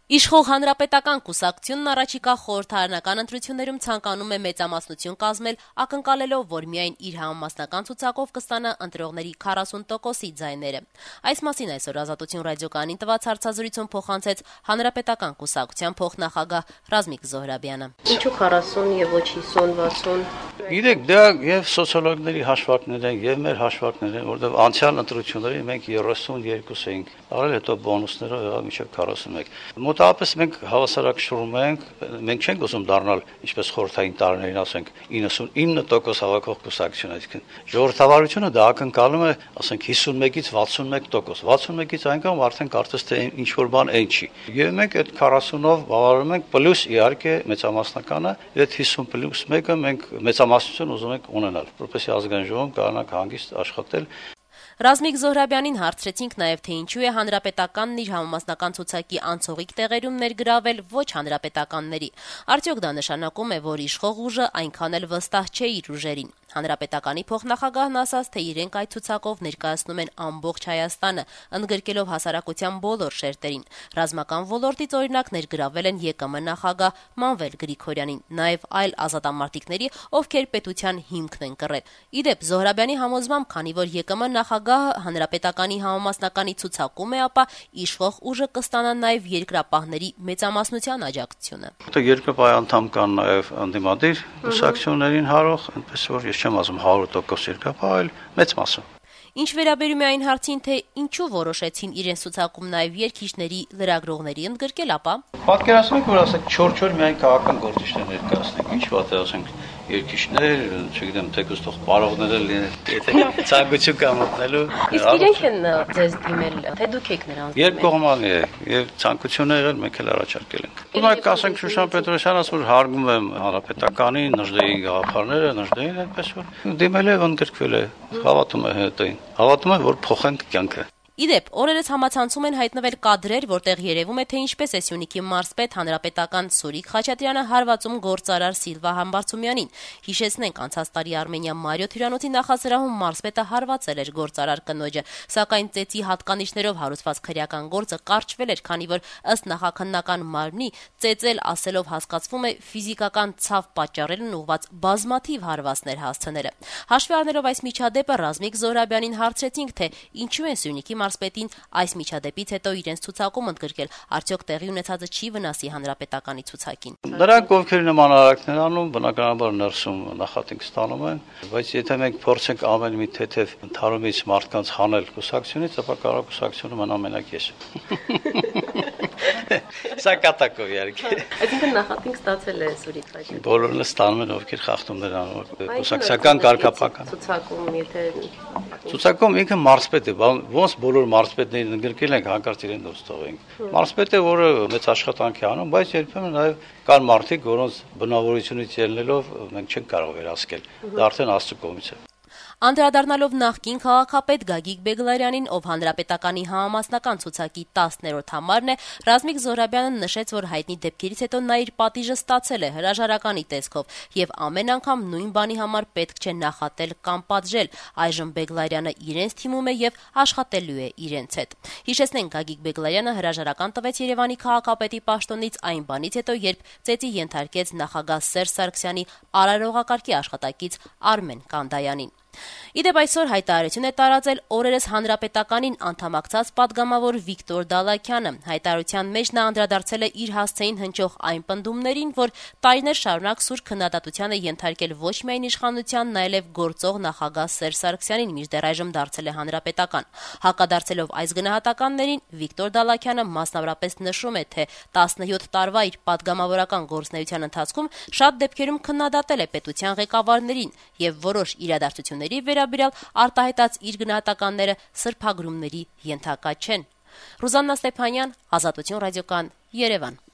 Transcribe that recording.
Իշխող հանրապետական կուսակցությունն առաջիկա խորհրդարանական ընտրություններում ցանկանում է մեծամասնություն կազմել, ակնկալելով, որ միայն իր համամասնական ցուցակով կստանա ընտրողների 40%-ի ձայները։ Այս մասին այսօր Ազատություն ռադիոկայանին տված հարցազրույցում փոխանցեց հանրապետական կուսակցության փոխնախագահ Ռազմիկ Զոհրաբյանը։ Ինչու 40 եւ ոչ 50-60։ Գիտեք, դա եւ սոցիոլոգների հաշվարկներ են, եւ մեր հաշվարկներ են, որովհետեւ անցյալ ընտրությունների մենք 32 էինք, արել հետո բոնուսներով եղավ մինչեւ 41։ Մոտավորապես մենք հավասարակշռում մենք չենք ուզում դառնալ, ինչպես խորհրդային տարիներին ասենք, 99% հավաքող կուսակցություն, այսինքն ժողովրդավարությունը դա ակնկալում է, ասենք 51-ից 61%, 61-ից այնքան արդեն կարծես թե ինչ որ բան այն չի։ Եվ մենք այդ 40-ով բավարարում ենք պլյուս իհարկե մեծամասնականը, այդ 50+1-ը մենք մեծամասնություն ուզում ենք ունենալ, որպեսզի ազգային ժողովում կարողանանք հանգիստ աշխատել։ Ռազմիկ Զոհրաբյանին հարցրեցինք նաև, թե ինչու է հանրապետականն իր համամասնական ցուցակի անցողիկ տեղերում ներգրավել ոչ հանրապետականների։ Արդյոք դա նշանակում է, որ իշխող ուժը այնքան էլ վստահ չէ իր ուժերին։ Հանրապետականի փոխնախագահն ասաց, թե իրենք այդ ցուցակով ներկայացնում են ամբողջ Հայաստանը, ընդգրկելով հասարակության բոլոր շերտերին։ Ռազմական ոլորտից օրինակ ներգրավել են ԵԿՄ նախագահ Մանվել Գրիգորյանին, նաև այլ ազատամարտիկների, ովքեր պետության հիմքն են կռել։ Իդեպ Զոհրաբյանի համոզմամբ, քանի որ ԵԿՄ նախագահը հանրապետականի համամասնականի ցուցակում է, ապա իշխող ուժը կստանա նաև երկրապահների մեծամասնության աջակցությունը։ Երկրապահ անդամ կան նաև անդիմադիր կուսակցություններին հարող, այնպես որ ես չեմ ասում 100% երկրապահ, այլ մեծ մասը։ Ինչ վերաբերում է այն հարցին, թե ինչու որոշեցին իրենց ցուցակում նաև երկիշների լրագրողների ընդգրկել, ապա պատկերացնենք, որ ասենք 4-4 միայն քաղաքական գործիչներ ներկայացնենք, ինչ վատ է ասենք երկիշներ, չգիտեմ, թեկուզ թող բարողներ լինեն, եթե ցանկություն կա մտնելու։ Իսկ իրենք են ձեզ դիմել, թե դուք եք նրանց դիմել։ Երկկողմանի է, եւ ցանկություն եղել, մենք էլ առաջարկել ենք։ Օրինակ ասենք Շուշան Պետրոսյանը ասում որ հարգում եմ հանրապետականին, Նժդեի գաղափարները, Նժդեին այդպես որ դիմել է, ընդգրկվել է, հավատում է հետին։ Հավատում է, որ փոխենք կյանքը։ Իդեպ, օրերս համացանցում են հայտնվել կադրեր, որտեղ երևում է, թե ինչպես է Սյունիքի մարզպետ հանրապետական Սուրիկ Խաչատրյանը հարվածում գործարար Սիլվա Համբարձումյանին։ Հիշեցնենք, անցած տարի Արմենիա Մարիոթ հյուրանոցի նախասրահում մարզպետը հարվածել էր գործարար կնոջը, սակայն ծեծի հատկանիշներով հարուցված քրեական գործը կարճվել էր, քանի որ ըստ նախաքննական մարմնի ծեծել ասելով հասկացվում է ֆիզիկական ցավ պատճառելն ուղված բազմաթիվ հարվածներ հասցնելը։ Հաշվի առնելով այս միջադեպը, Ռազմիկ Զոհրաբյանին հարցրեցինք, թե ինչու են Սյունիքի մարզպետին այս միջադեպից հետո իրենց ցուցակում ընդգրկել, արդյոք տեղի ունեցածը չի վնասի հանրապետականի ցուցակին։ Նրանք ովքեր նման արարքներ անում, բնականաբար ներսում նախատինք ստանում են, բայց եթե մենք փորձենք ամեն մի թեթև ընդհանրումից մարդկանց հանել կուսակցությունից, ապա կարող կուսակցությունը մնա մենակ ես։ Սա կատակով իհարկե։ Այսինքն նախատինք ստացել է Սուրիկ Խաչատրյանը։ Բոլորն ստանում են, ովքեր խախտումներ անում, կուսակցական կարգապահական։ Ցուցակում, եթե ցուցակում ինքը մարզպետ է, ոնց բոլոր մարզպետներին ընդգրկել ենք, հանկարծ իրեն դուրս թողենք։ Մարզպետը, որը մեծ աշխատանք է անում, բայց երբեմն նաև կան մարդիկ, որոնց բնավորությունից ելնելով մենք չենք կարող վերահսկել։ Դա արդեն Աստծո կողմից է։ Անդրադառնալով նախկին քաղաքապետ Գագիկ Բեգլարյանին, ով հանրապետականի համամասնական ցուցակի 10-րդ համարն է, Ռազմիկ Զոհրաբյանը նշեց, որ հայտնի դեպքերից հետո նա իր պատիժը ստացել է հրաժարականի տեսքով եւ ամեն անգամ նույն բանի համար պետք չէ նախատել կամ պատժել։ Այժմ Բեգլարյանը իրենց թիմում է եւ աշխատելու է իրենց հետ։ Հիշեցնենք, Գագիկ Բեգլարյանը հրաժարական տվեց Երևանի քաղաքապետի պաշտոնից այն բանից հետո, երբ ծեծի ենթարկեց նախագահ Սերժ Սարգսյանի արարողակարգի աշխատակից Արմեն Կանդայանին։ Իդեպ այսօր հայտարարություն է տարածել օրերս հանրապետականին անդամակցած падգամավոր Վիկտոր Դալաքյանը։ Հայտարարության մեջ նա անդրադարձել է իր հասցեին հնչող այն պնդումներին, որ տարիներ շարունակ սուր քննադատության է ենթարկել ոչ միայն իշխանության, այլև գործող նախագահ Սերժ Սարգսյանին, մինչդեռ այժմ դարձել է հանրապետական։ Հակադարձելով այս գնահատականներին, Վիկտոր Դալաքյանը մասնավորապես նշում է, թե 17 տարվա իր падգամավորական գործունեության ընթացքում շատ դեպքերում քննադատել է պետության ղեկավարներին եւ որոշ իրադարձությունների վերաբերյալ արտահայտած իր գնահատականները սրբագրումների ենթակա չեն։ Ռուզաննա Ստեփանյան, Ազատություն ռադիոկայան, Երևան։